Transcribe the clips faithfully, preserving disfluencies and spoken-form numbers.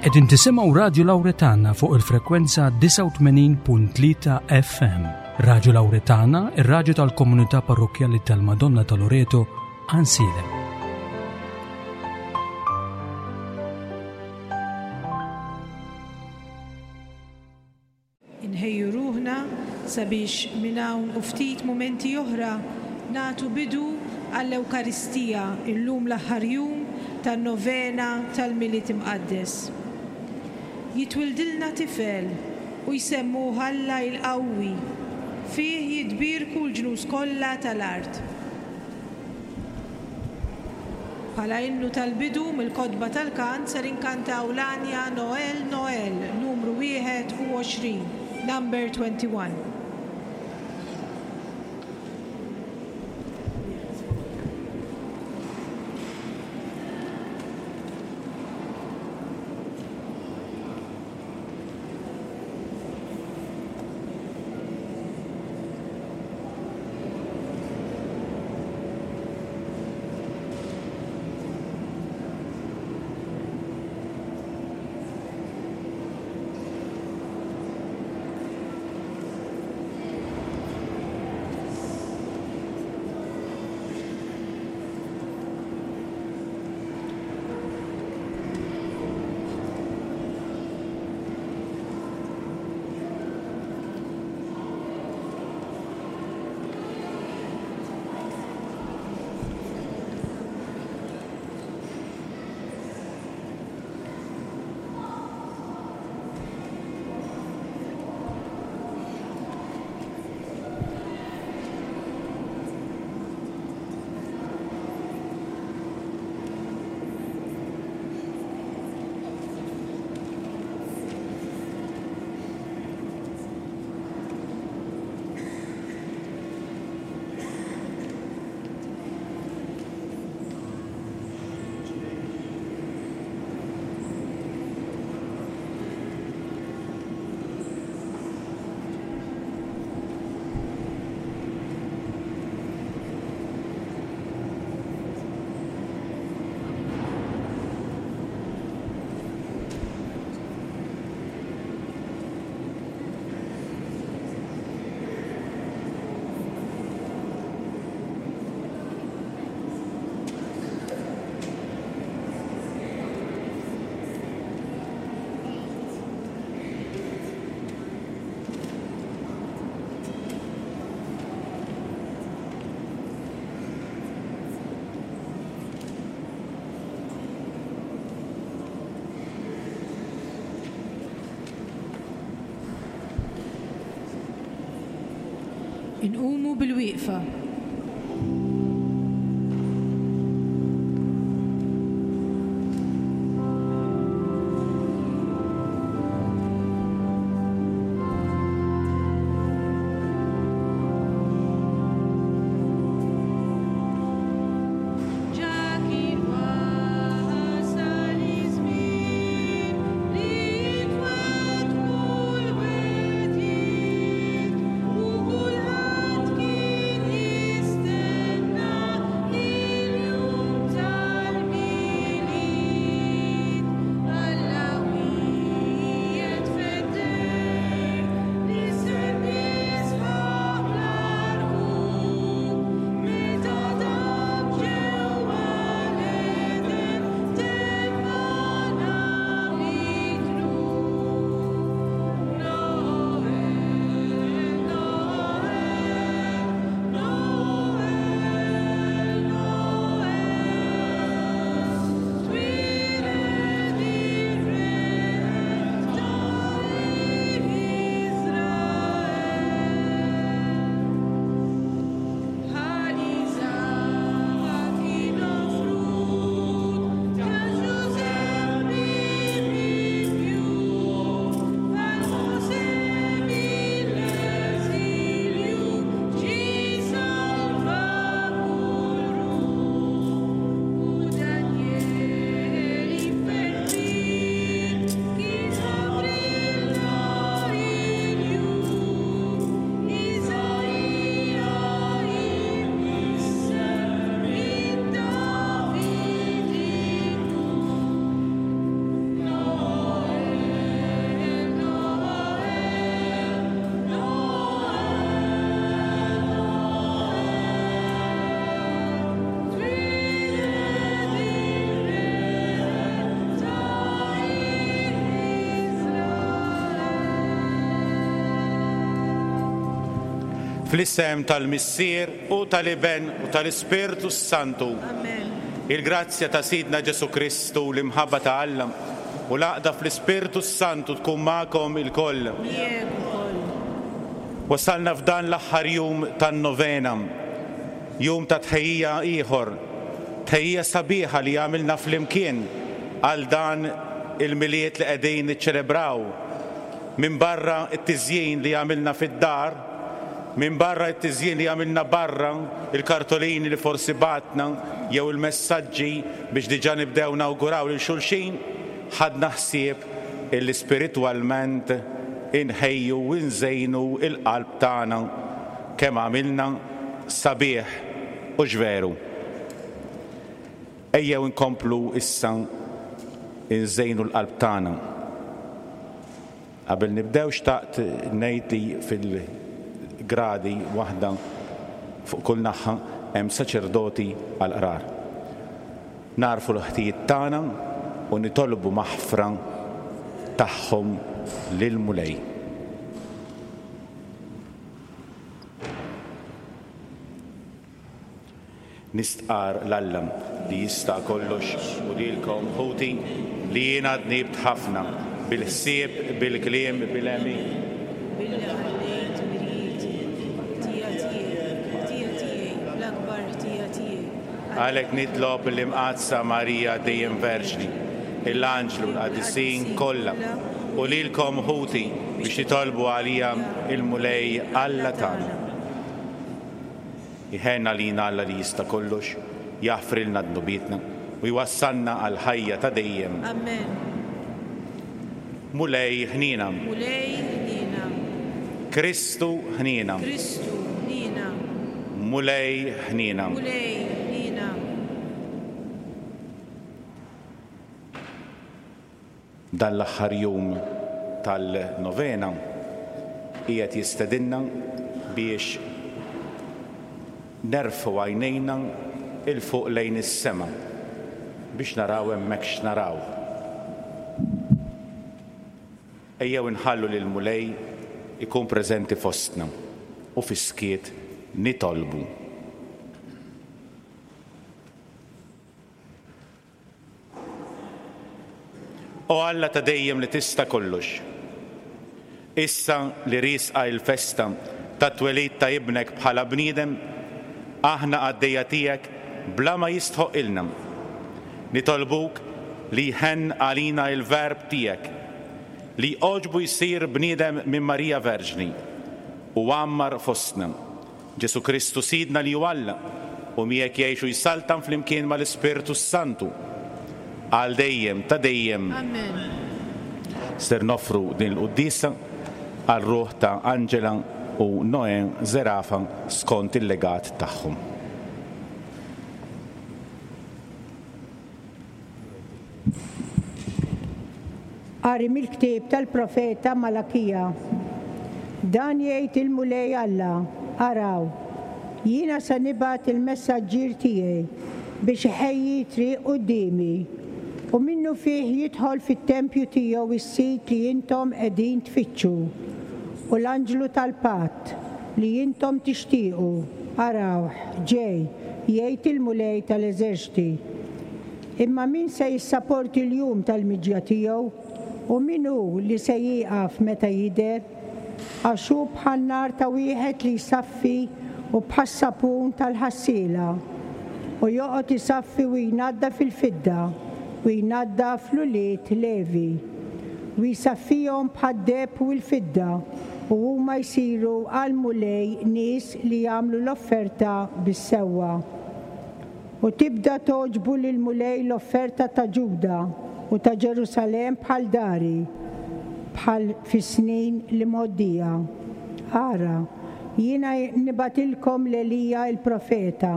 Qegħdin tisimgħu Radju Lawretana fuq il-frekwenza disgħa u tmenin punt tlieta F M. Radju Lawretana, ir-radju tal-Komunità Parrokkjali tal-Madonna ta' Loreto, Għajnsielem. Inħejju ruħna sabiex minn hawn u ftit mumenti oħra nagħtu bidu għall-Ewkaristija, illum l-aħħar jum tan-novena tal-Milied Imqaddes. Jitwildilna tifel u jsemmuh Alla il-Qawwi, fih jitbierku l-ġnus kollha tal-art. Bħala innu tal-bidu mill-kotba tal-kant ser inkantaw l-għanja Noel Noel numru wieħed u għoxrin, number twenty-one. Inqumu bil-wieqfa. Ġa kien wasal iż-żmien li twettqu l-wegħdiet u kulħadd kien Fl-isem tal-Missier u tal-Iben u tal-Ispirtu Santu. Amen. Il-grazzja ta' Sidna Ġesu Kristu, l-imħabba ta' Alla u l-għaqda fl-Ispirtu Santu tkun magħkom ilkoll. Miegħek ukoll. Wasalna f'dan l-aħħar jum tan-novena, jum ta' tħejjija ieħor, tħejjija sabiħa li għamilna flimkien għal dan il-Milied li qegħdin niċċelebraw. Minn barra t-tiżjin li għamilna fid-dar, minn barra t-tiżjin li għamilna barra, il-kartolini li forsi batna jew il-messaġġi biex diġà nibdew nawguraw lil xulxin, ħadna ħsieb illi spiritwalment inħejju u nżejnu il-qalb tagħna kemm għamilna sabiħ u ġveru. Ejjew inkomplu issa nżejnu l-qalb tagħna. Qabel nibdew xtaqt ngħid li fil-gradi waħda fuq kull naħa hemm saċerdoti għall-qrar. Narfu l-ħtijiet tagħna u nitolbu maħfra tagħhom lill-Mulej. Nistqar l-Alla li jista' kollox u lilkom ħuti li jiena dnibt ħafna bil-ħsieb, bil-kliem, bil-għemil. Billi ħallejt mirieti, ħtija tiegħi, ħtija tiegħi, l-akbar ħtija tiegħi. Għalhekk nitlob l-Imqaddsa Marija dejjem Verġni, l-Anġlu l-Qaddisin kollha u lilkom ħuti biex titolbu għalija il-Mulej Alla tagħna. Iħenna lina Alla li jista' kollox, jaħfrilna dnubietna u jwassalna għal ħajja ta' dejjem. Amen. Mulej ħnina. Mulej ħnina. Kristu ħnina. Kristu ħnina. Mulej ħnina. Mulej ħnina. Dan l-aħħar jum tal-novena qiegħed jistedinna biex nerfgħu għajnejna il fuq lejn is-sema biex naraw hemmhekk x'naraw. Ejjew inħallu lil Mulej ikun preżenti fostna u fis-skiet nitolbu. O Alla ta' dejjem li tista' kollox, issa li riesqa il-festa tat-twelid ta' ibnek bħala bniedem, aħna għaddejja tiegħek bla ma jistħoq ilna. Nitolbuk li jħenn għalina il-verb tiegħek, li għoġbu jsir bniedem minn Marija Verġni u għammar fostna. Ġesu Kristu Sidna li hu Alla u miegħek jgħixu jsaltan flimkien mal-Ispirtu Santu għal dejjem ta' dejjem. Amen. Ser noffru din il-quddiesa għal ruħ ta' Angela u Noè Zerafa skont il-legat tagħhom. Qari mill-ktieb tal-profeta Malakija. Dan jgħid il-Mulej Alla, araw, jiena se nibgħat il-messaġġier tiegħi biex iħejji triq quddiemi, u minnu fih jidħol fit-tempju tiegħu is-sit li intom qegħdin tfittxu, u l-anġlu tal-patt li intom tixtiequ, arawh, ġej, jgħid il-Mulej tal-eżerċti. Imma min se jissaporti l-jum tal-miġja tiegħu, u min hu li se jieqaf meta jidher? Għax hu bħal nar ta' wieħed li jsaffi u bħas-sapun tal-ħassiela, u joqgħod isaffi u jnaddaf il-fidda u jnaddaf l-ulied Levi, u jsaffihom bħad-deheb u l-fidda, u huma jsiru għal Mulej nies li jagħmlu l-offerta bis-sewwa. U tibda togħġbu lil Mulej l-offerta ta' Ġuda u ta' Ġerusalemm bħal dari, bħal fis-snin li mgħoddija. Ara, jiena nibgħatilkom l-Elija il-profeta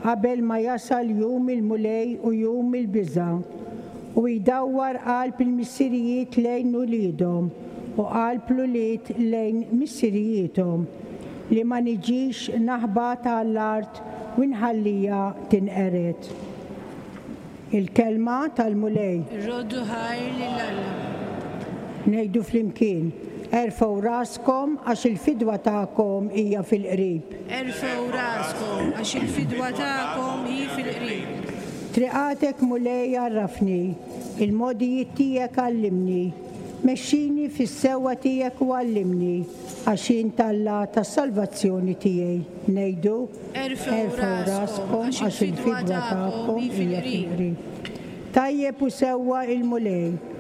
qabel ma jasal jum il-Mulej u jum il-biża', u jdawwar qalb il-missirijiet lejn uliedhom u qalb l-ulied lejn missirijiethom, li ma niġix naħbat għall-art u nħallija tinqered. Il-kelma tal-Mulej. Irroddu ħajr lil Alla. Ngħidu flimkien, Erfgħu raskom għax il-fidwa tagħkom hija fil-qrib. Erfgħu raskom għax il-fidwa tagħkom hi fil-qrib. Triqatek Mulej għarrafni, il-modijiet tiegħek għallimni, mexxini fis-sewwa tiegħek u għallimni, għax int Alla tas-salvazzjoni tiegħi. Ngħidu, Erfgħu raskom għax il-fidwa tagħkom hi hija fil-qrib. fil-qrib. Tajjeb u sewwa il-Mulej,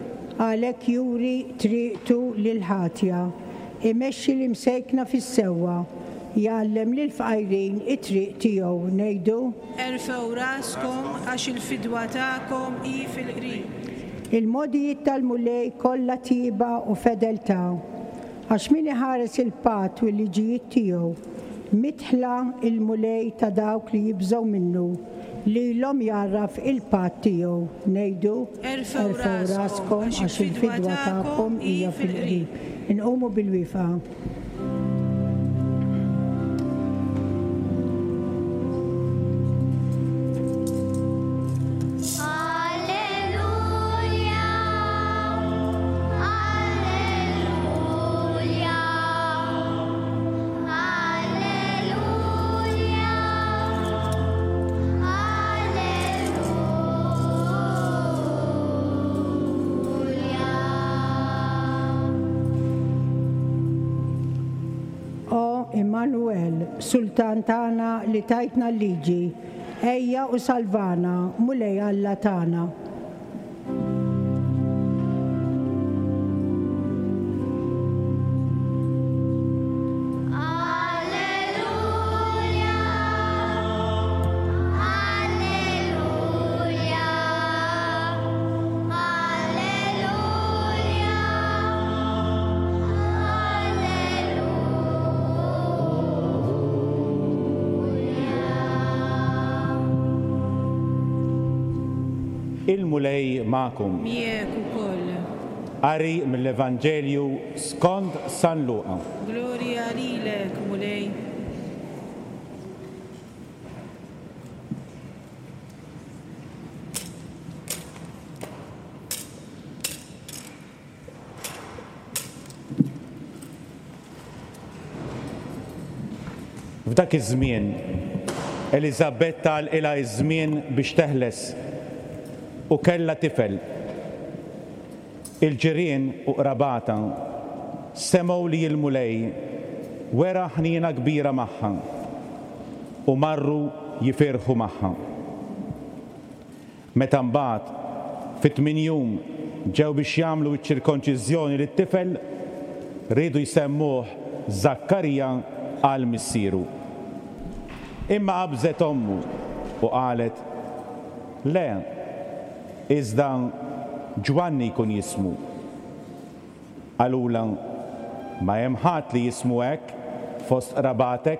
għalhekk juri triqtu lil ħatja, imexxi l-imsejkna fis-sewwa, jgħallem lill-fqajrin it-triq tiegħu. Ngħidu, Erfgħu raskom għax il-fidwa tagħkom hi fil-qrib. Il-modijiet tal-Mulej kollha tiba u fedeltà, għax min iħares il-patt u l-liġijiet tiegħu, midħla il-Mulej ta' dawk li jibżgħu minnu, lilhom jgħarraf il-patt tiegħu. Ngħidu, Erfgħu raskom għax il-fidwa tagħkom hija fil-qrib. Inqumu bil-wieqfa. Alleluja, Alleluja, Alleluja, Alleluja. O Immanuel, Sultan tagħna li tajtna l-liġi, ejja u salvana, Mulej Alla tagħna. Alleluja, Alleluja, Alleluja, Il-Mulej magħkom. Miegħek ukoll. Qari mill-Evanġelju skont San Luqa. Glorja lilek, Mulej. F'dak iż-żmien, Eliżabetta għalqilha iż-żmien biex teħles u kellha tifel. Il-ġirien u qrabata semgħu li l-Mulej wera ħniena kbira magħha u marru jifirħu magħha. Meta mbagħad fit-tmien jum ġew biex jagħmlu ċ-ċirkonċiżjoni lit-tifel, riedu jsemmuh Zakkarija għal missieru. Imma qabżet ommu u qalet, le, iżda Ġwanni jkun jismu. Qalulha, ma hemm ħadd li jismu hekk fost qrabatek.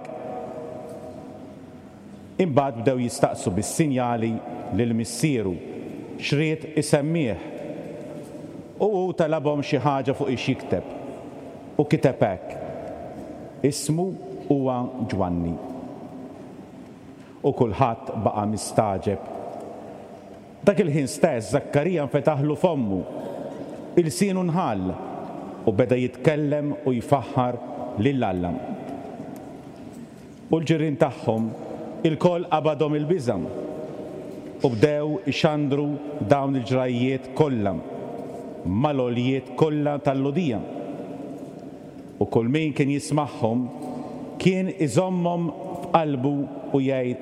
Imbagħad bdew jistaqsu bis-sinjali lil missieru x'ried isemmih. U hu talabhom xi ħaġa fuq ix jikteb. U kiteb hekk: ismu huwa Ġwanni. U kulħadd baqa' mistagħġeb. Dak il-ħin stess Zakkarija nfetaħlu fommu, ilsienu nħall u beda jitkellem u jfaħħar lil Alla. U l-ġirien tagħhom ilkoll qabadhom il-biża' u bdew ixandru dawn il-ġrajjiet kollha mal-għoljiet kollha tal-Lhudija. U kull min kien jismagħhom kien iżommhom f'qalbu u jgħid,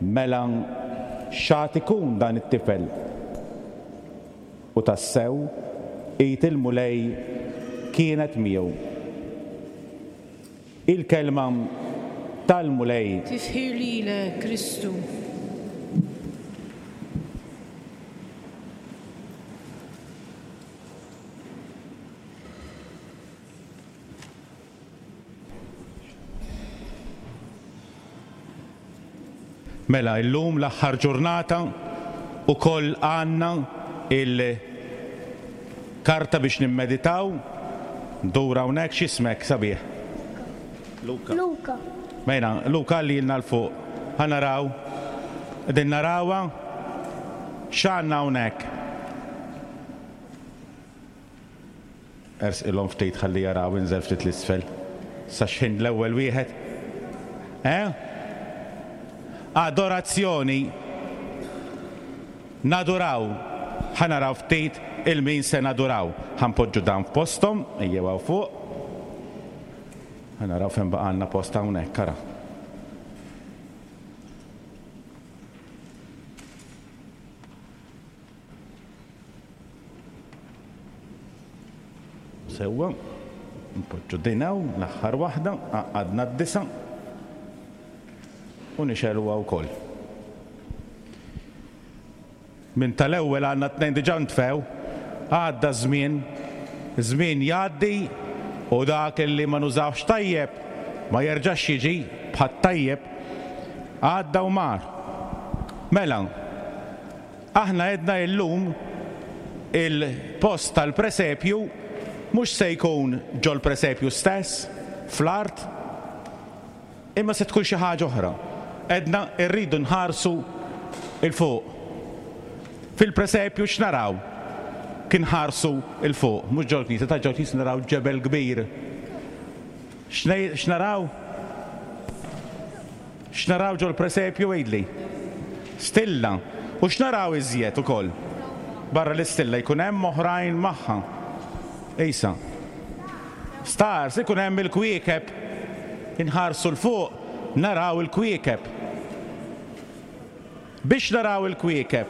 mela x'għad ikun dan it-tifel? U tassew id il-Mulej kienet miegħu. Il-kelma tal-Mulej. Tifħir lilek, Kristu. Mela, illum l-aħħar ġurnata u koll għandna il-karta biex nimmeditaw. Dura hawnhekk, x'ismek sabiħ? Luka. Luka. Mela, Luka li jilna l-fuq. Ħa naraw. Qegħdin narawha. X'għandna hawnhekk? Ersqilhom ftit ħalli jaraw, inżel ftit l-isfel. Sa x'ħin l-ewwel wieħed. Eh? Adorazzjoni. Naduraw. Ħa naraw ftit il-min se naduraw. Ħa npoġġu dan f'posthom, ejjew hawn fuq. Ħa naraw fejn baqgħalna post hawnhekk, ara. Sewwa, npoġġu din hawn, l-aħħar waħda, għaqqadna d-disa' u nixegħluha wkoll. Minn tal-ewwel għandna tnejn diġà ntfew, għadda żmien, żmien jgħaddi u dak li ma nużawx tajjeb ma jerġax jiġi bħat tajjeb, għadda u mar. Mela, aħna għedna illum il-post tal-presepju mhux se jkun ġol-presepju stess, fl-art, imma se tkun xi ħaġa oħra. Għedna rridu nħarsu 'il fuq. Fil-presepju x'naraw? Kien ħarsu 'il fuq, mhux ġol-knisja, ta' ġol-knisja naraw ġebel kbir. X'naraw? X'naraw ġol-presepju għidli? Stilla. U x'naraw iżjed ukoll? Barra l-istilla jkun hemm oħrajn magħha. Isa. Stars, ikun hemm il-kwiekeb. Inħarsu 'l fuq, naraw il-kwiekeb. Biex naraw il-kwiekeb,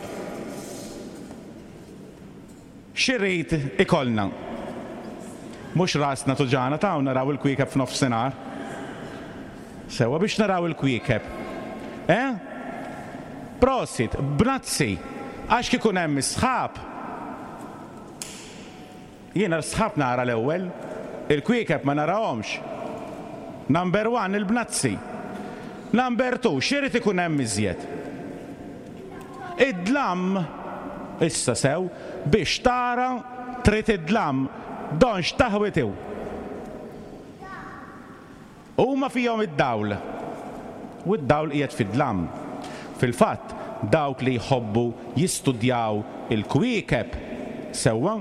x'irid ikollna? Mhux rasna tuġana ta' naraw il-kwiekeb f'nofsinhar. Sewwa biex naraw il-kwiekeb. Eh? Prosit, bnazzi, għax kikun hemm is-sħab. Jiena l-sħab nara l-ewwel, il-kwiekeb ma narahomx. Number one, il-bnazzi. Number two, x'irid ikun hemm iżjed? Id-dlam, issa sew, biex tara trid id-dlam, donx taħwitiw. Huma fihom id-dawl. U d-dawl qiegħed fid-dlam. Fil-fatt, dawk li jħobbu jistudjaw il-kwiekeb sewwa,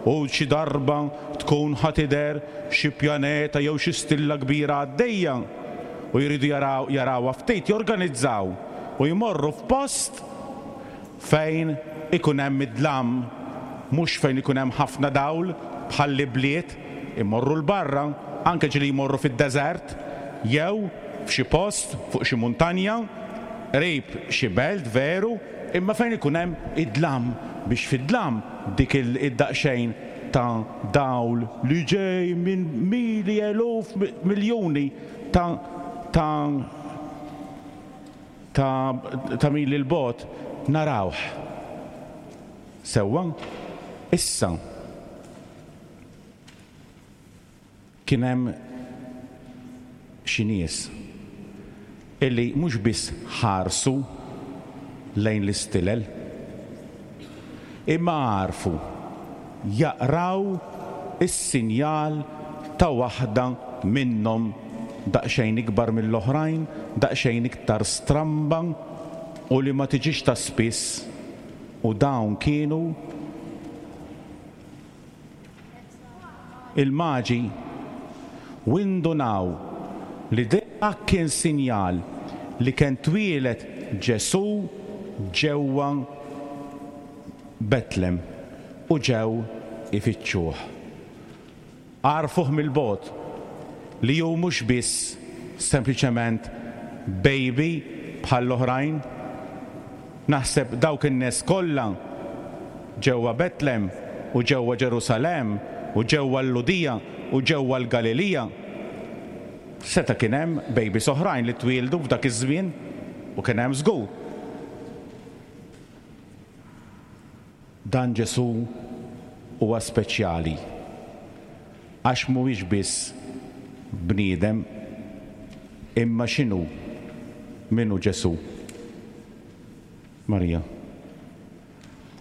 u xi darba tkun ħa tidher xi pjaneta jew xi stilla kbira għaddejja u jridu jaraw jarawha ftit, jorganizzaw u jmorru f'post fejn ikun hemm id-dlam, mhux fejn ikun hemm ħafna dawl bħal bliet, imorru 'l barra, anke ġieli jmorru fid-deżert jew f'xi post fuq xi muntanja, qrib xi belt veru, imma fejn ikun hemm id-dlam, biex fid-dlam dik id-daqsxejn ta' dawl li ġej minn mili eluf miljuni ta' ta' ta' ta' mili l-bogħod narawh. Sewwa, issa kien hemm xi nies illi mhux biss ħarsu lejn l-istilel, imma għarfu jaqraw is-sinjal ta' waħda minnhom daqsxejn ikbar mill-oħrajn, daqsxejn iktar stramba u li ma tiġix ta' spiss, u dawn kienu il-maġi. U indunaw li dak kien sinjal li kien twieled Ġesù ġewwa Betlem u ġew ifittxuh. Għarfuh mill-bogħod li hu mhux biss sempliċement baby bħall-oħrajn. Naħseb dawk in-nies kollha ġewwa Betlem u ġewwa Ġerusalemm u ġewwa l-Ludija u ġewwa l-Galilija, seta' kien hemm babies oħrajn li twieldu f'dak iż-żmien, u kien hemm żgur. Dan Ġesù huwa speċjali għax mhuwiex biss bniedem, imma x'inhu? Min hu Ġesù? Marija.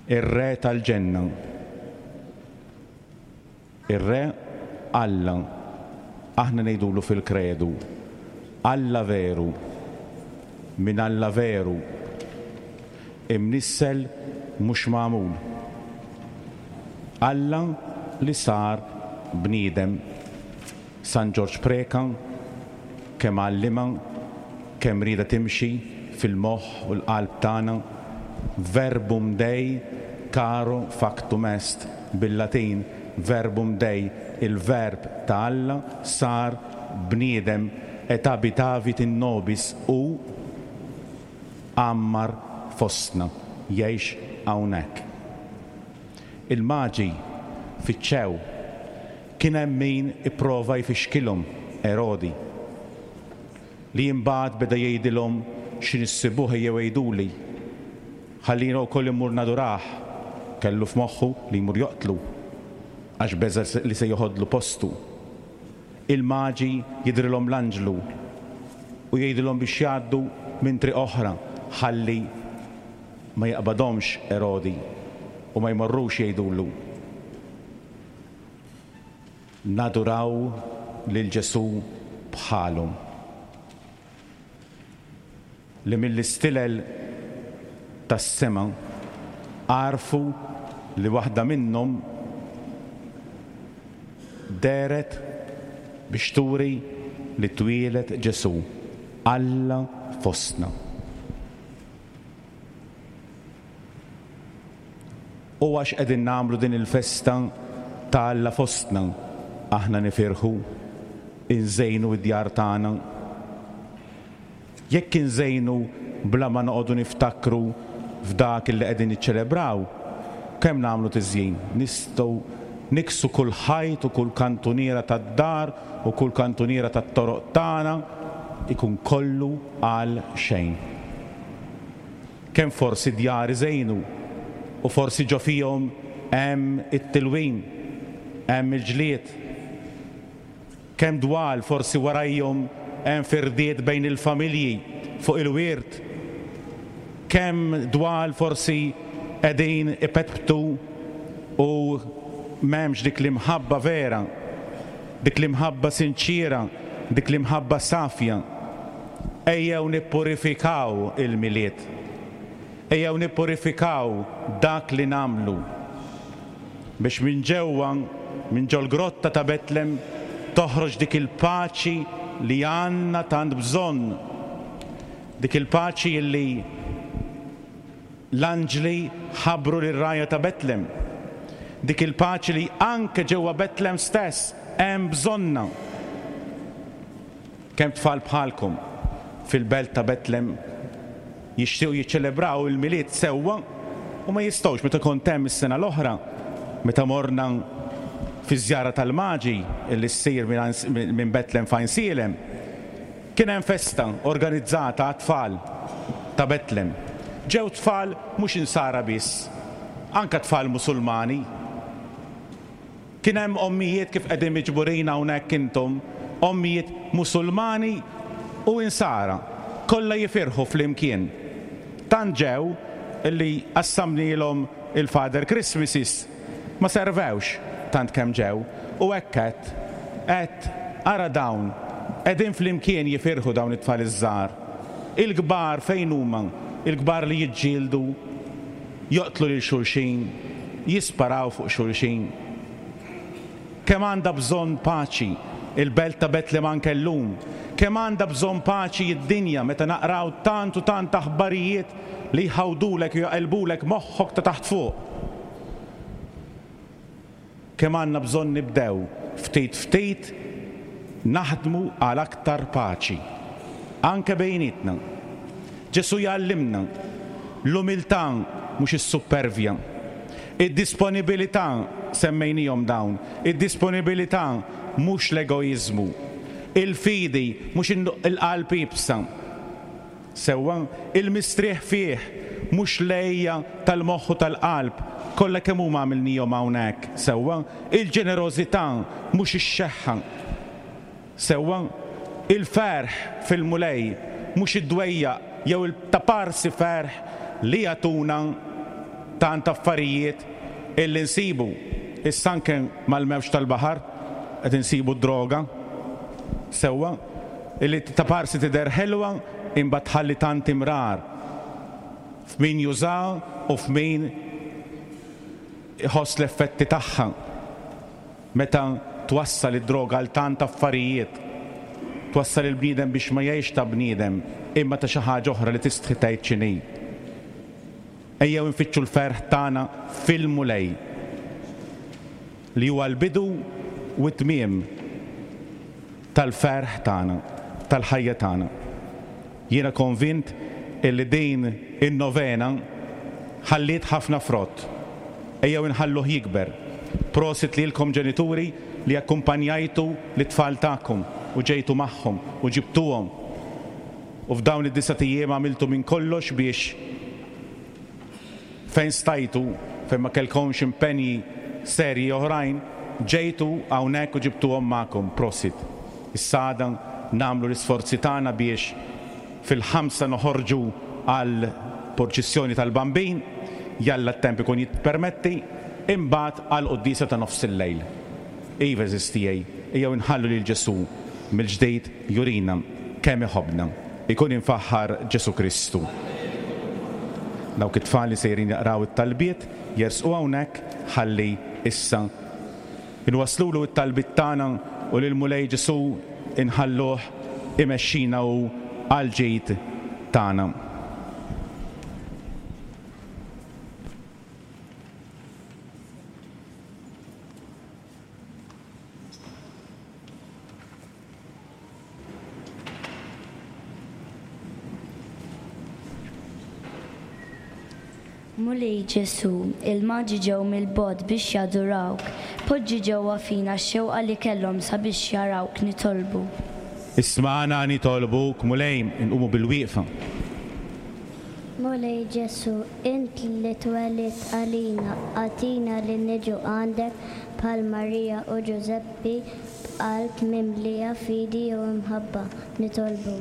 Ir-Re tal-Ġenna. Ir-Re Alla. Aħna ngħidulu fil-kredu, Alla veru, minn Alla veru, imnissel mhux magħmul. Alla li sar bniedem. San Ġorġ Preca kemm għallima, kemm rieda timxi fil-moħħ u l-qalb tagħna. Verbum Dei caro factum est, bil-Latin verbum Dei, il-verb ta' Alla sar bniedem, et habitavit in nobis, u għammar fostna, jgħix hawnhekk. Il-maġi fiċċew, kien hemm min ipprova jfixkilhom, Erodi, li imbagħad beda jgħidilhom x'in issibuh jew jgħiduli, ħallina wkoll immur nadurah. Kellu f'moħħu li jmur joqtlu għax beża li se joħodlu postu. Il-maġi jidrilhom l-anġlu u jgħidilhom biex jgħaddu minn triq oħra ħalli ma jaqbadhomx Erodi u ma jmorrux jgħidulu. Naduraw lil Ġesù bħalhom, li mill-istilel tas-sema għarfu li waħda minnhom deret biex turi li twieled Ġesù, Alla fostna. U għax qegħdin nagħmlu din il-festa ta' Alla fostna, aħna nifirħu, inżejnu id-djar tagħna. Jekk inżejnu bla ma noqogħdu niftakru f'dak li qegħdin niċċelebraw, kemm nagħmlu tiżjin, nistgħu niksu kull ħajt u kull kantuniera tad-dar u kull kantuniera tat-toroq tagħna, ikun kollu għal xejn. Kemm forsi djar iżejnu u forsi ġo fihom hemm it-tilwim, hemm il-ġlied. Kemm dwal forsi warajhom hemm firdiet bejn il-familji fuq il-wirt. Kemm dwal forsi qegħdin ipetptu u m'hemmx dik l-imħabba vera, dik l-imħabba sinċira, dik l-imħabba safja. Ejjew nippurifikaw il-Milied. Ejjew nippurifikaw dak li nagħmlu biex minn ġewwa, minn ġol-grotta ta' Betlem, toħroġ dik il-paċi li għandna tant bżonn, dik il-paċi li l-anġli ħabbru lir-rajja ta' Betlem, dik il-paċi li anke ġewwa Betlem stess hemm bżonna. Kemm tfal bħalkom fil-belt ta' Betlem jixtiequ jiċċelebraw il-Milied sewwa u ma jistgħux. Meta kont hemm is-sena l-oħra, meta morna fi żjara tal-Maġi li ssir minn Betlem fejn Sielem, kien hemm festa organizzata għat-tfal ta' Betlem. Ġew tfal mhux insara biss, anke tfal Musulmani. Kien hemm ommijiet kif qegħdin miġburin hawnhekk intom, ommijiet Musulmani u insara, kollha jifirħu flimkien. Tant ġew illi qassamnielhom il-Father Christmases, ma servewx tant kemm ġew, u hekk qed qed ara dawn qegħdin flimkien jifirħu dawn it-tfal iż-żgħar. Il-kbar fejn huma? Il-kbar li jiġġieldu, joqtlu lil xulxin, jisparaw fuq xulxin. Kemm għandha bżonn paċi il-belt ta' Betlem anke llum, kemm għandha bżonn paċi id-dinja meta naqraw tant u tant aħbarijiet li jħawdulek u jaqilbulek moħħok ta' taħt fuq. Kemm għandna bżonn nibdew ftit ftit naħdmu għal aktar paċi, anke bejnietna. Ġesù jgħallimna l-umiltà mhux is-supervja, id-disponibilità, semmejnihom dawn, id-disponibilità mhux l-egoiżmu, il-fidi mhux il-qalb iebsa, sewwa il-mistrieħ fih mhux lejja tal-moħħ u tal-qalb, kollha kemm huma għamilnihom hawnhekk, sewwa il-ġenerożità mhux ix-xeħħa, sewwa il-ferħ fil-Mulej mhux id-dwejjaq jew il-taparsi ferħ li jagħtuna tant affarijiet illi nsibu. Issa anke mal-mewġ tal-baħar qed insibu d-droga, sewwa illi taparsi tidher ħelwa imbagħad tħalli tant imrar f'min juża u f'min iħoss l-effetti tagħha. Meta Twassal id-droga għal tant affarijiet. Twassal il-bniedem biex ma jgħix ta' bniedem, imma ta' xi ħaġa oħra li tistħi tgħid x'inhi. Ejjew infittxu l-ferħ tagħna fil-Mulej, li huwa l-bidu u t-tmiem tal-ferħ tagħna, tal-ħajja tagħna. Jiena konvint illi din in-novena ħalliet ħafna frott. Ejjew inħalluh jikber. Prosit lilkom ġenituri li akkumpanjajtu l-tfal tagħkom u ġejtu magħhom u ġibtuhom. U f'dawn id-disat ijiem għamiltu minn kollox biex fejn stajtu, fejn ma kellkomx impenji serji oħrajn, ġejtu hawnhekk u ġibtuhom magħkom. Prosit. Issa għada nagħmlu l-isforzi tagħna biex fil-ħamsa noħorġu għal purċissjoni tal-Bambin, jalla t-temp ikun jippermetti, imbagħad għal quddiesa ta' nofs il-lejl. Iva għeżież tiegħi, ejjew inħallu lil Ġesù mill-ġdid jurina kemm iħobbna. Ikun imfaħħar Ġesù Kristu. Dawk it-tfal li sejrin jaqraw it-talbiet jersqu hawnhekk ħalli issa inwaslulu it-talbiet tagħna u lil Mulej Ġesù inħalluh imexxina u għal ġid tagħna. Mulej Ġesù, il-maġi ġew mill-bogħod biex jadurawk, poġġi ġewwa fina x-xewqa li kellhom sabiex jarawk, nitolbu. Ismagħna nitolbuk, Mulej, inqumu bil-wieqfa. Mulej Ġesù, int li twelidt għalina, agħtina li niġu għandek bħal Marija u Ġużeppi b'qalb mimlija fidi u imħabba, nitolbu.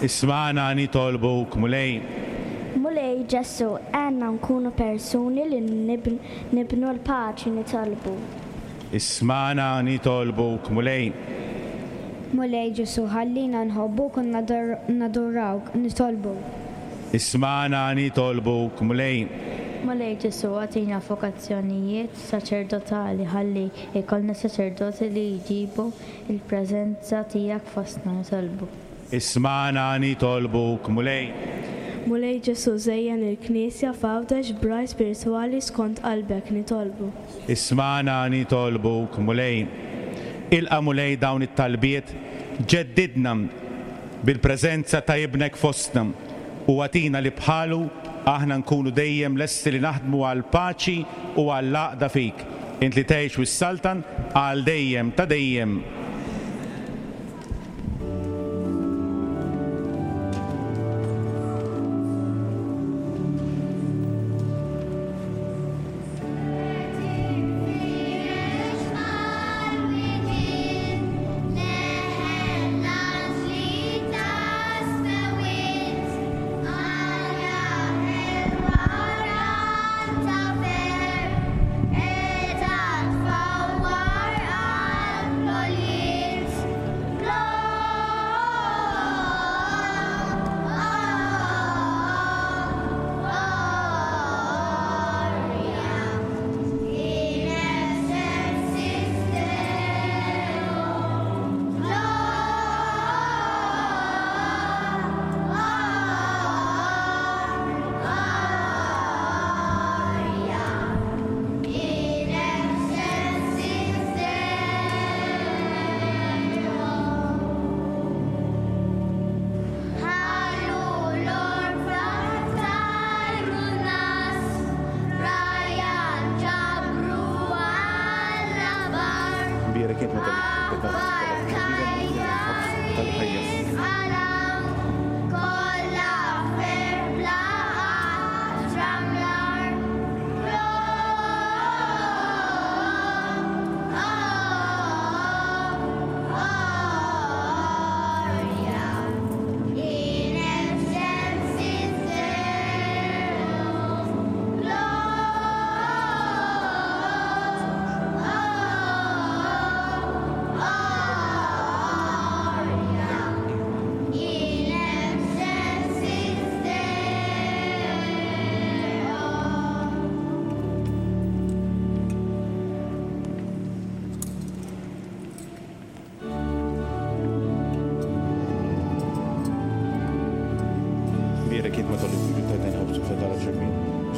Ismagħna nitolbuk, Mulej. Mulej Ġesù, għenna nkunu persuni li nibnu l-paċi, nitolbu. Ismagħna nitolbuk, Mulej. Mulej Ġesù, ħallina nħobbuk u nadurawk, nitolbu. Ismagħna nitolbuk, Mulej. Mulej Ġesù, agħtina vokazzjonijiet saċerdotali, ħalli jkollna saċerdoti li jġibu il-preżenza tiegħek fostna, nitolbu. Ismagħna nitolbuk, Mulej. Mulej Ġesù, żejjen il-Knisja f'Għawdex b'ragħaj spiritwali skont qalbek, nitolbu. Ismagħna nitolbuk, Mulej. Ilqa' Mulej dawn it-talbiet, ġeddidna bil-preżenza ta' ibnek fostna u agħtina li bħalu aħna nkunu dejjem lesti li naħdmu għal paċi u għall-għaqda fik. Int li tgħix u s-saltan għal dejjem ta' dejjem.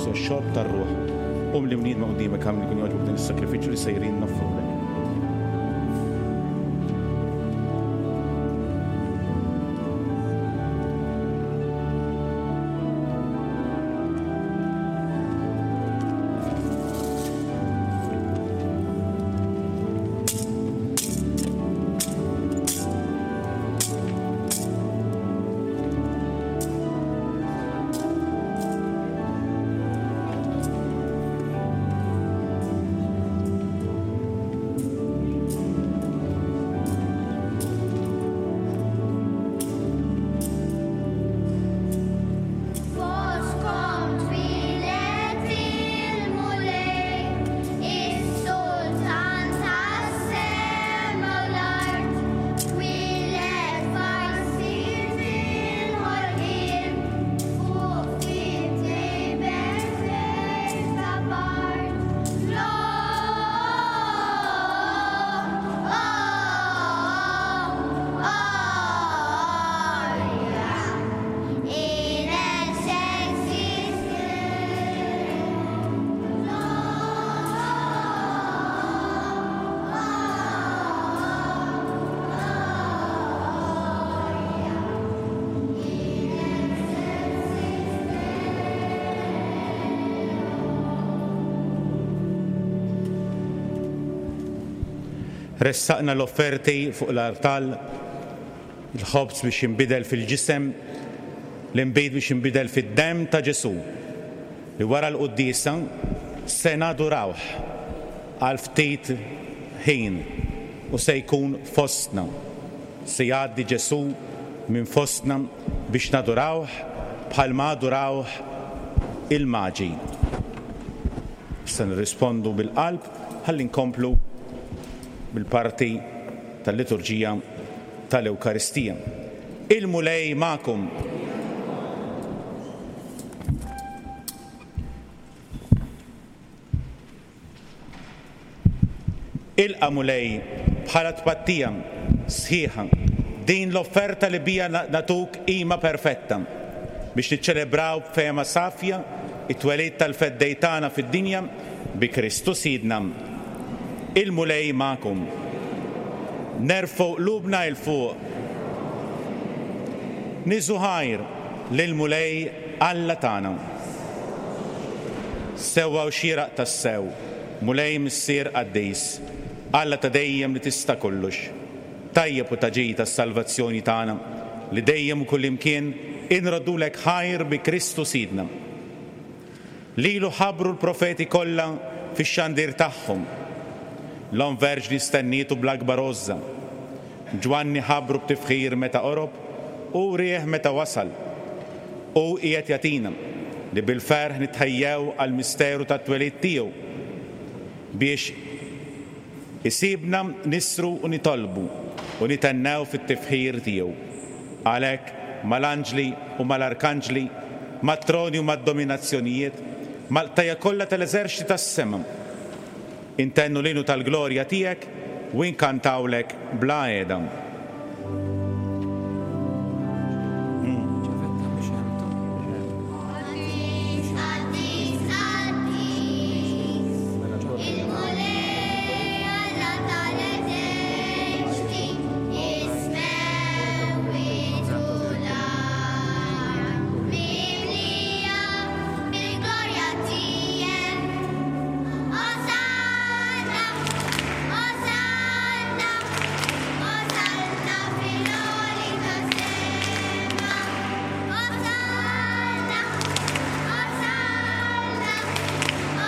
l-ħobż u x-xorb tar-ruħ. Qum li mniedma quddiemek għamli kun jogħġbok din is-sakrifiċċju li sejrin noffrulek. Ressaqna l-offerti fuq l-artal, il-ħobż biex jinbidel fil-ġisem, l-inbid biex jinbidel fid-demm ta' Ġesù, li wara l-quddiesa se nadurawh għal ftit ħin u se jkun fostna. Se jgħaddi Ġesù minn fostna biex nadurawh bħalma adurawh il-maġi. Issa nirrispondu bil-qalb ħalli nkomplu bil-parti tal-liturġija tal-Ewkaristija. Il-Mulej magħkom. Ilqa' Mulej bħala tpattija sħiħa din l-offerta li bija natuk qima perfetta biex niċċelebraw b'fehma safja it-twelid tal-Feddej tagħna fid-dinja bi Kristu Sidna. Il-Mulej magħkom. Nerfgħu qlubna 'l fuq. Niżu ħajr lill-Mulej Alla tagħna. Sewwa u xieraq tassew, Mulej Missier Qaddis, Alla ta' dejjem li tista' kollox, tajjeb u taġi tas-salvazzjoni tagħna li dejjem u kullimkien inroddulek ħajr bi Kristu Sidna. Lilu ħabbru l-profeti kollha fix-xandir tagħhom. L-Omm Verġni stennietu bl-akbar għożża. Ġwanni ħabbru b'tifħir meta qorob u rieħ meta wasal. U qiegħed jagħtina li bil-ferħ nitħejjew għall-misteru tat-twelid tiegħu biex isibna nisru u nitolbu u nitennew fit-tifħir tiegħu. Għalhekk mal-anġli u mal-arkanġli, mat-troni u mad-dominazzjonijiet, mal-qtajja kollha tal-eżerċti tas-sema, intennu l-inu tal-glorja tiegħek u inkantawlek bla qiegħda.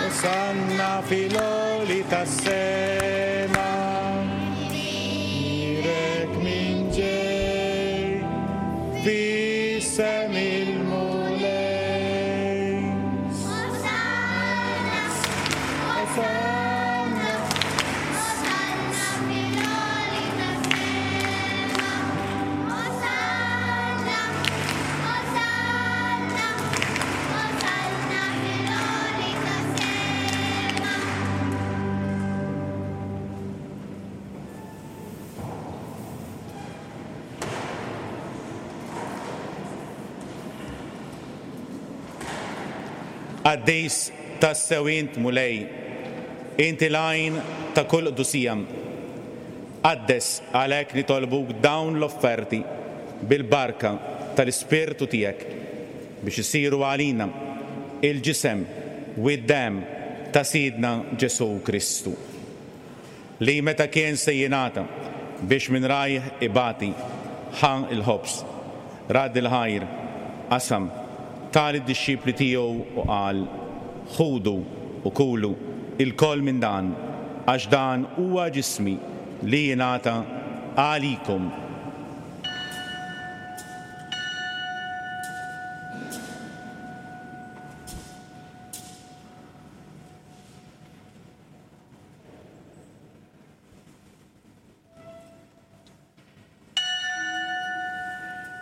Osanna fil-għoli tas-sema, mirek min ġej f'isem il-Mulej. Osanna, Osanna, Osanna fil-għoli tas-sema, Osanna, Osanna, Osanna fil-għoli tas-sema. Qaddis tassew int Mulej, inti l-għajn ta' kull qdusija. Qaddes għalhekk nitolbuk dawn l-offerti bil-barka tal-Ispirtu tiegħek biex isiru għalina il-ġisem u d-demm ta' Sidna Ġesù Kristu, li meta kien se jingħata biex minn rajh ibati ħa il-ħobż, rad il-ħajr, qasam, ta lid-dixxipli tiegħu u qal: Ħudu u kulu ilkoll minn dan, għax dan huwa ġismi li jingħata għalikom.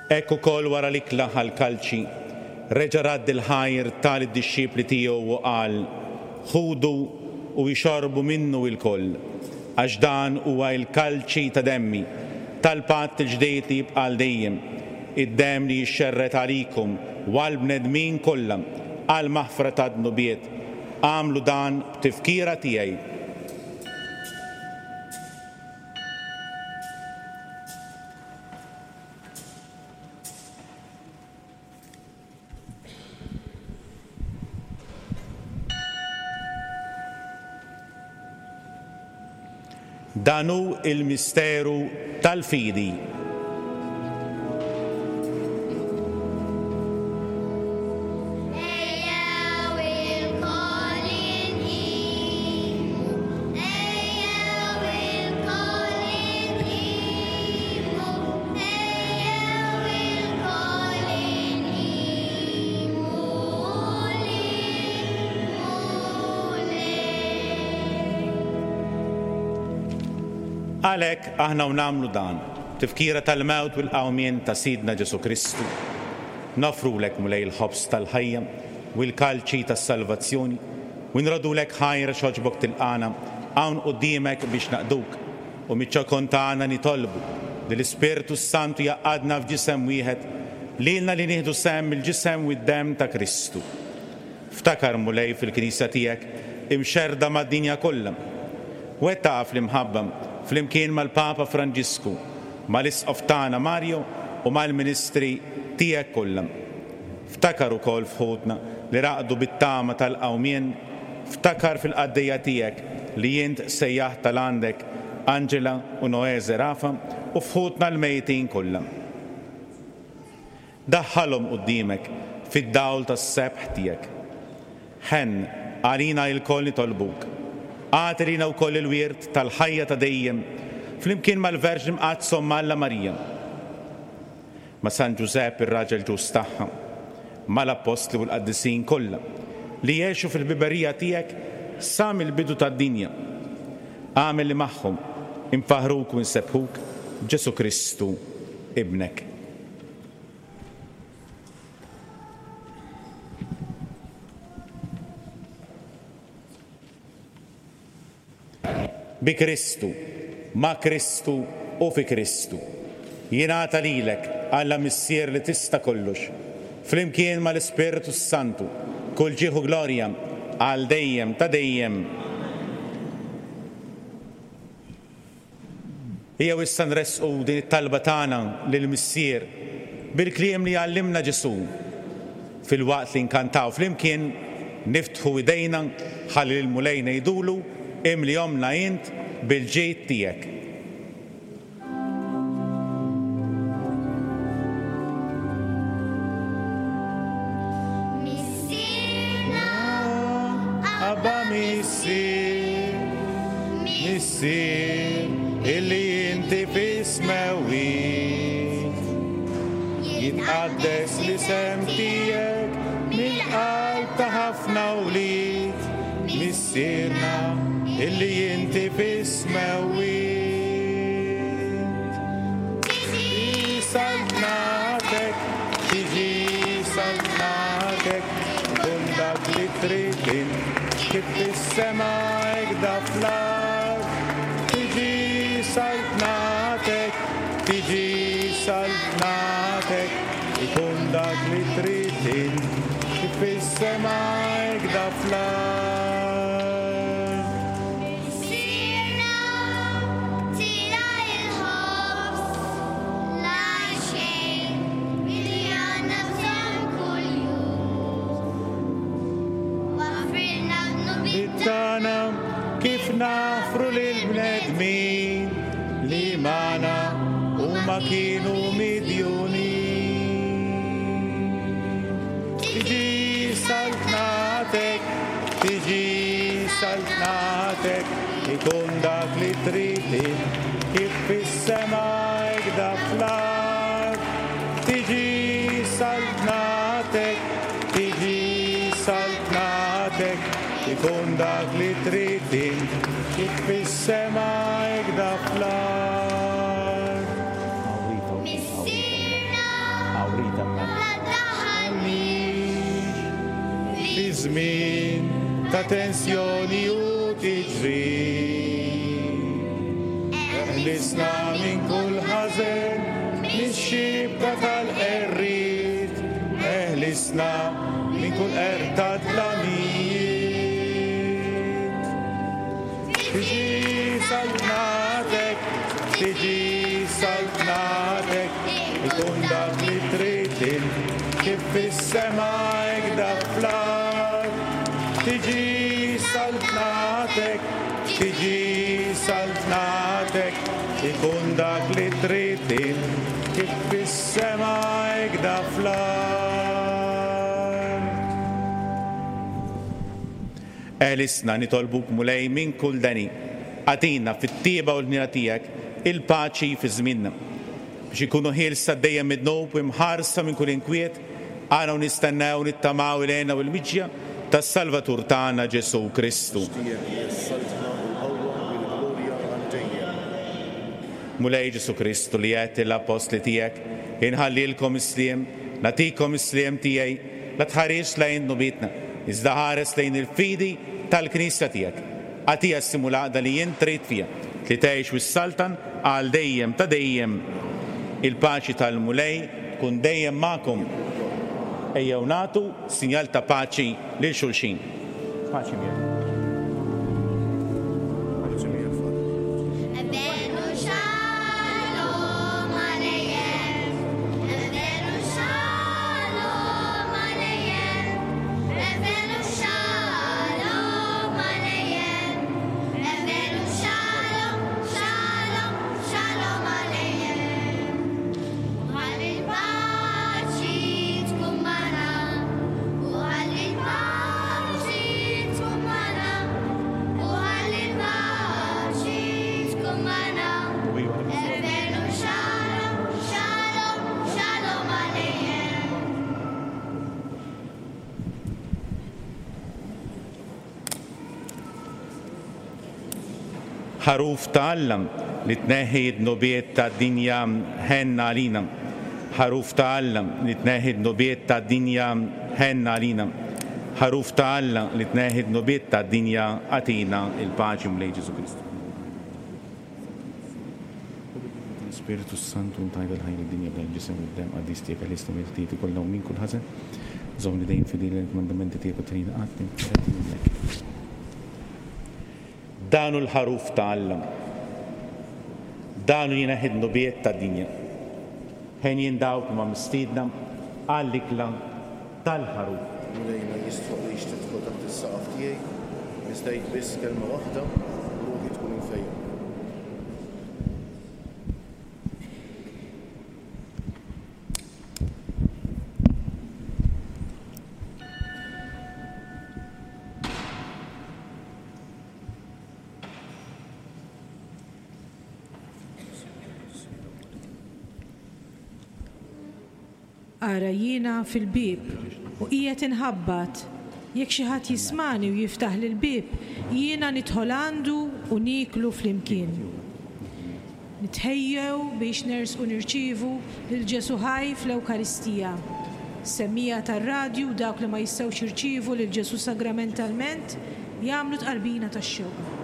Hekk ukoll wara l-ikla ħall-kalċi, reġa' radd il-ħajr ta lid-dixxipli tiegħu u qal: Ħudu u jxorbu minnu ilkoll, għax dan huwa l-kalċi ta' demmi, tal-patt il-ġdid li jibqa' għal dejjem, id-demm li jixxerred għalikum u għall-bnedmin kollha għal maħfra ta' dnubiet. Agħmlu dan b'tifkira tiegħi. Dan hu il-misteru tal-fidi. Ejjew ilkoll inqimu, ejjew ilkoll inqimu, ejjew ilkoll inqimu lill-Mulej. Għalhekk aħna u nagħmlu dan, tifkira tal-mewt u l-qawmien ta' Sidna Ġesù Kristu. Nofrulek Mulej il-ħobż tal-ħajja u l-kalċi tas-salvazzjoni u nrodulek ħajr xogħġbok tilqana hawn quddiemek biex naqduk, u miċ-ċokon tagħna nitolbu li l-Ispirtu s-Santu jaqadna f'ġisem wieħed lilna li nieħdu sehem mill-ġisem u d-demm ta' Kristu. Ftakar Mulej fil-Knisja tiegħek imxerrda mad-dinja kollha. Wettaq fl-imħabba flimkien mal-Papa Franġisku, mal-Isqof tagħna Mario u mal-Ministri tiegħek kollha. Ftakar ukoll f'ħutna li raqdu bit-tama tal-qawmien, ftakar fil-qaddejja tiegħek li int sejjaħt tal-għandek Angela u Noè Zerafa u f'ħutna l-mejtin kollha. Daħħalhom quddiemek fid-dawl tas-sebħ tiegħek. Ħenn għalina ilkoll nitolbuk. Agħti lilna wkoll il-wirt tal-ħajja ta' dejjem flimkien mal-Verġni Mqaddsa Omm Alla Marija, ma' San Ġużepp ir-raġel ġust tagħha, mal-Appostli u l-Qaddisin kollha li jgħixu fil-biberija tiegħek sa mill-bidu tad-dinja. Agħmel li magħhom infaħruk u nsebbħuk Ġesù Kristu ibnek. Bi Kristu, ma' Kristu u fi Kristu. Jingħata lilek, Alla Missier li tista' kollox, flimkien mal-Ispirtu s-Santu, kull ġieħ u glorja għal dejjem ta' dejjem. Ejjew issa nressqu din it-talba tagħna lill-Missier bil-kliem li għallimna Ġesù. Filwaqt li nkantaw flimkien, niftħu idejna ħalli lill-Mulej ngħidulu: imlihomna int bil-ġid tiegħek. Missierna, Abba Missier, Missier, illi inti fis-smewwiet, jitqaddes l-isem tiegħek mill-qalb ta' ħafna wlied. Missierna, illi inti fis-smewwiet. Tiġi saltnatek, tiġi saltnatek, ikun dak li trid int, kif fis-sema hekk da fl-art. Tiġi saltnatek, tiġi saltnatek, ikun dak li trid int, kif fis-sema hekk fl-art. Missierna tila il-ħobż la xejn li għandna bżonn kuljum. Waħfrilna dnubiet Tagħna kif nafru lill-bnedmin li magħna huma kienu midjunin. Tiġi saltnatek, tiġi saltnatek, ikun dak li trid int, kif fis-sema hekk dak fl-art. Tiġi saltnatek, tiġi saltnatek, ikun dak li trid int, kif fis-sema hekk dak fl-art. Missierna Awrita la daħalniex fi żmien ta' tensjoni u tiġrib. Eħlisna minn kull ħażen, mix-xibka tal-qerried, eħlisna minn kull qerq ta' dlamijiet. Tiġi saltnatek, tiġi saltnatek, ikun dak li trid int, kif fis-sema hekk dak fl-art. Tiġi saltnatek, tiġi saltnatek, ikun dak li trid int, kif fis-sema hekk dak fl-art. Eħlisna nitolbuk Mulej minn kull deni, agħtina fit-tieba u l-ħniena tiegħek il-paċi fi żmienna, biex ikunu ħielsa dejjem mid-dnub u imħarsa minn kull inkwiet, għana u nistennew nittamaw il-hena u l-miġja tas-Salvatur tagħna Ġesù Kristu. Tiegħek hija s-saltna u l-qawwa u l-glorja għal dejjem. Mulej Ġesù Kristu li għedt l-appostli tiegħek, inħallilkom is-sliem, nagħtikom is-sliem tiegħi, la tħares lejn dnubietna, iżda ħares lejn il-fidi tal-Knisja tiegħek. Agħtiha s-sliem u l-għaqda li jien trid fiha, li tgħix u s-saltan għal dejjem ta' dejjem. Il-paċi tal-Mulej tkun dejjem magħkom. Ejjew nagħtu sinjal ta' paċi lil xulxin. Paċi miegħek. Paċi miegħek, Father. Evenu shalom aleichem, Evenu shalom aleichem, Evenu shalom aleichem, Evenu shalom, shalom, shalom aleichem. U ħalli l-paċi tkun magħna, u ħalli l-paċi tkun magħna, u ħalli l-paċi tkun magħna. Evenu shalom, shalom, shalom aleichem. Ħaruf ta' Alla li tneħħi d-dnubiet tad-dinja ħenna għalina. Ħaruf ta' Alla li tneħħi d-dnubiet tad-dinja ħenna għalina. Ħaruf ta' Alla li tneħħi d-dnubiet tad-dinja agħtina il-paċi Mulej Ġesù Kristu. Spiritu Santu ntajba l-ħajja d-dinja bla ġisem u d-dem qaddis tiegħek għal-isna mill-ħtijiet kollha u minn kull ħażen. Żommni dejjem fidili l-kmandamenti tiegħek u trini qatt ninfired minnek. Dan hu l-ħaruf ta' Alla. Dan hu jneħħi d-dnubiet tad-dinja. Henjin dawk huma mistiedna għall-ikla tal-ħaruf. Mulej ma jistħoqlix tidħol taħt is-saqaf tiegħi, iżda għid biss kelma waħda u ruħi tkun imfejqa. Ara jiena fil-bieb u qiegħed inħabbat. Jekk xi ħadd jismani u jiftaħ l-bieb, jiena nidħol għandu u nieklu flimkien. Nitħejjew biex nersqu nirċievu lil Ġesù ħaj fl-Ewkaristija. Semmija tar-radju dawk li ma jistgħux jirċievu lil Ġesù sagramentalment jagħmlu tqarbina tax-xewqa.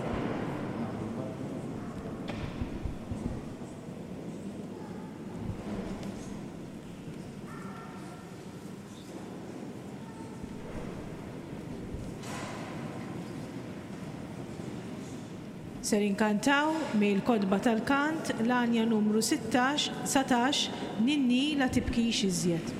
Ser inkantaw mill-kotba tal-kant l-għanja numru sittax, satax, Ninni la tibkix iżjed.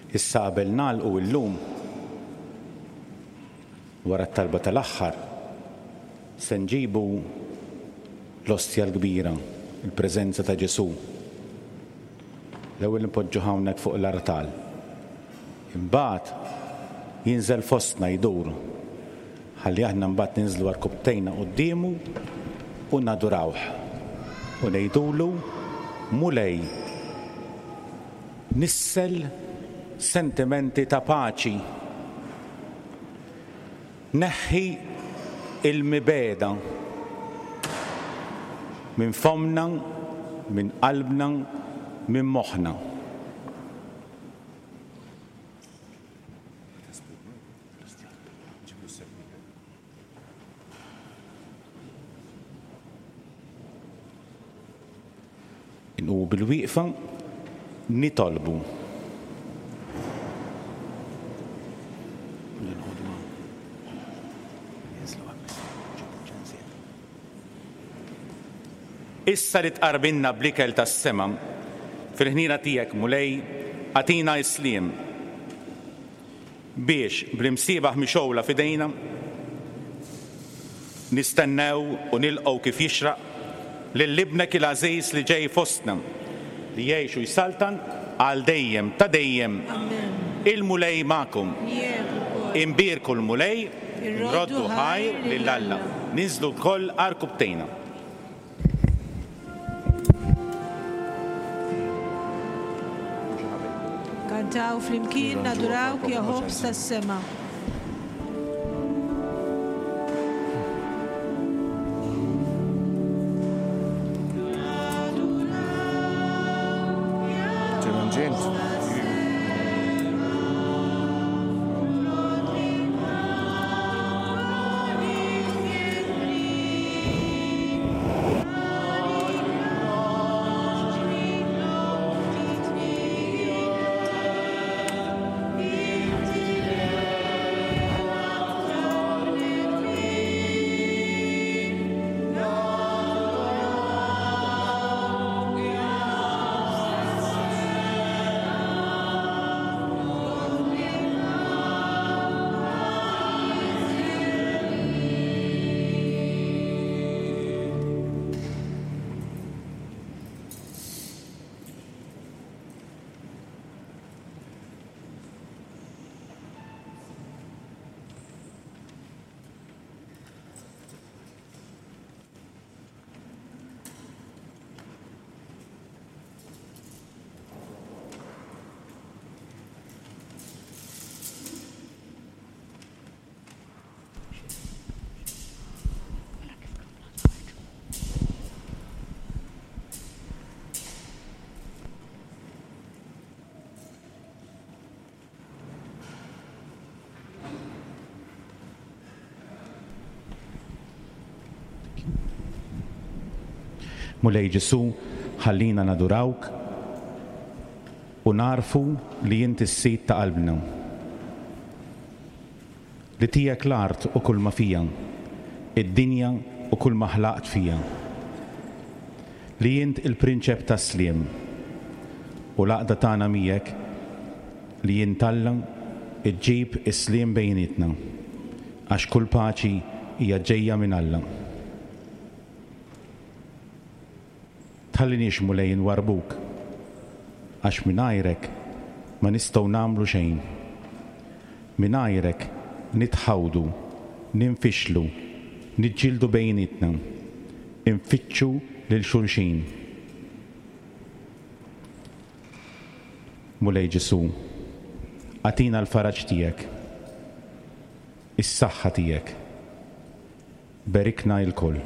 Issa qabel nagħlqu illum wara t-talba tal-aħħar se nġibu l-ostja l-kbira, il-preżenza ta' Ġesù. L-ewwel nipoġġu hawnhekk fuq l-artal. Imbagħad jinżel fostna jdur. Ħalli aħna mbagħad ninżlu għarkupptejna quddiemu u nadurawh. U ngħidulu Mulej, nissel sentimenti ta' paċi. Neħħi il-mibeda minn fomna, minn qalbna, minn moħħna. Inqumu bil-wieqfa nitolbu. Issa li tqarbinna bl-ikel tas-sema, Fil-ħniena tiegħek, Mulej, agħtina s-sliem biex bl-imsiebaħ mixgħula f'idejna nistennew u nilqgħu kif jixraq lil ibnek il-għażiż li ġej fostna, li jgħix u jsaltan għal dejjem ta' dejjem. Il-Mulej magħkom. Imbierku l-Mulej, nroddu ħajr lil Alla. Ninżlu lkoll għarkupptejna. Kantaw flimkien nadurawk ja ħobż tas-sema. Mulej Ġesù, ħallina nadurawk u narfu li inti s-sid ta' qalbna. Li tiegħek l-art u kull ma fija, id-dinja u kull ma ħlaqt fija. Li int il-prinċep tas-sliem u l-għaqda tagħna miegħek li int Alla iġġib is-sliem bejnietna, għax kull paċi hija ġejja minn Alla. Tħalliniex Mulej nwarbuk, għax mingħajrek ma nistgħu nagħmlu xejn. Mingħajrek nitħawdu, ninfixlu, niġġieldu bejnietna, infittxu lil xulxin. Mulej Ġesù, agħtina l-faraġ tiegħek, is-saħħa tiegħek. Berikna lkoll.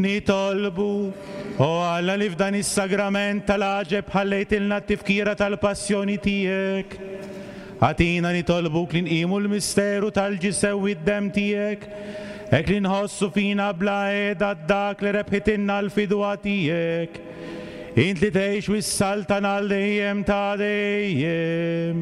Nitolbu, o Alla li f'dan is-sagrament tal-għaġeb ħallejtilna t-tifkira tal-passjoni tiegħek. Agħtina nitolbuk li nqimu l-misteru tal-ġisem u d-demm tiegħek, hekk li nħossu fina bla qiegħda dak li rebħitilna l-fidwa tiegħek. Int li tgħix u s-saltan għal dejjem ta' dejjem.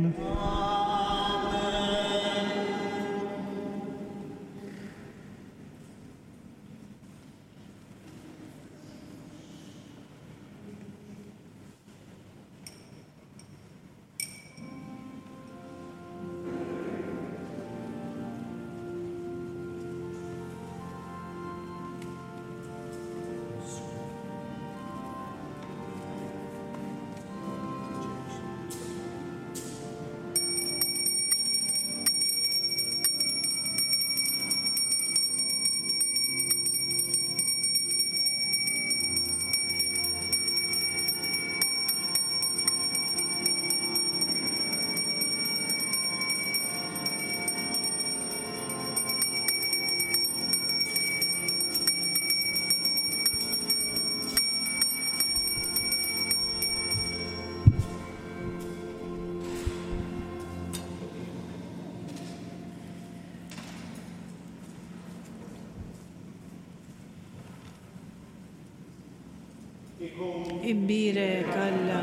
Imbierek Alla,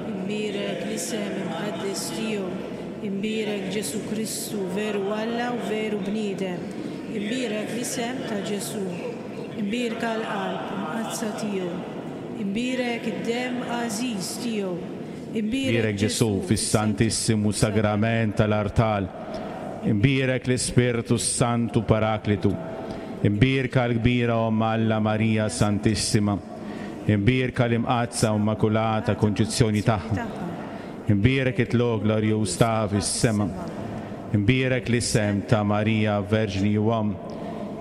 imbierek l-isem imqaddes tiegħu, imbierek Ġesu Kristu, veru Alla u veru bniedem, imbierek l-isem ta' Ġesu, imbierka l-qalb imqaddsa tiegħu, imbierek id-demm għażiż tiegħu, imbierek Ġesu fis-Santissimu Sagrament tal-Artal, imbierek l-Ispirtu Santu Paraklitu, imbierka l-kbira Omm Alla Marija Santissima, imbierka l-imqaddsa u immakulata konċizzjoni tagħha, imbierek it-tlugħ glorjuż tagħha fis-sema, imbierek l-isem ta' Marija Verġni u Omm,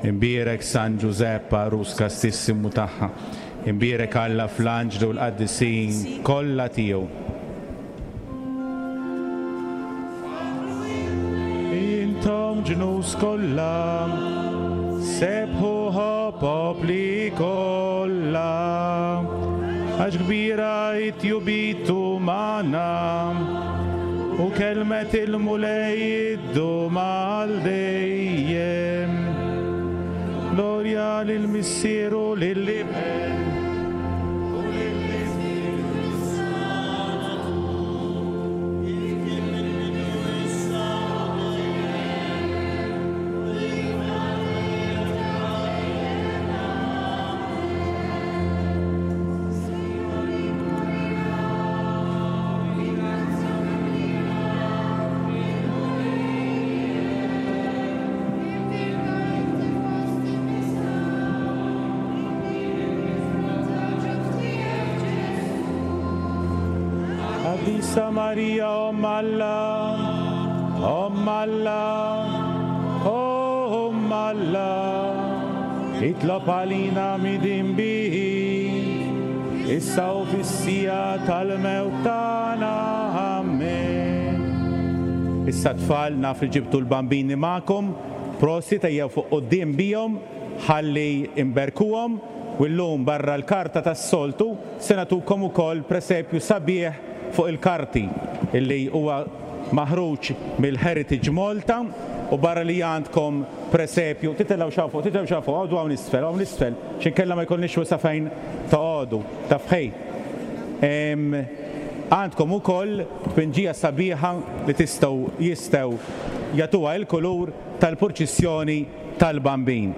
imbierek San Ġużepp għarus kastissimu tagħha, imbierek Alla fl-anġlu u l-qaddisin kollha tiegħu. Intom ġnus kollha, sebħuha popli kollha, għax kbira it-tjubitu magħna, u kelmet il-Mulej iddum għal dejjem. Glorja lill-Missier u lill-Iben u lill-Ispirtu Santu, kif kien mill-bidu issa u dejjem, u Qaddisa Marija, Omm Alla, Omm Alla, Omm Alla, itlob għalina midinbin, issa u fis-siegħa tal-mewt tagħna. Amen. Issa tfal, naf li ġibtu l-bambini magħkom, prosit ejjew fuq quddiem bihom ħalli imberkuhom, u llum barra l-karta tas-soltu se nagħtukom ukoll presepju sabiħ fuq il-karti illi huwa maħruġ mill-Heritage Malta, u barra li għandkom presepju, titilgħu xaw fuq, titilgħu xaw fuq, għodu hawn isfel, hawn isfel, x'inkella ma jkollniex wisa fejn toqogħdu, taf ħej. Għandkom ukoll tpinġija sabiħa li tistgħu jistgħu jagħtuha l-kulur tal-purċissjoni tal-Bambin.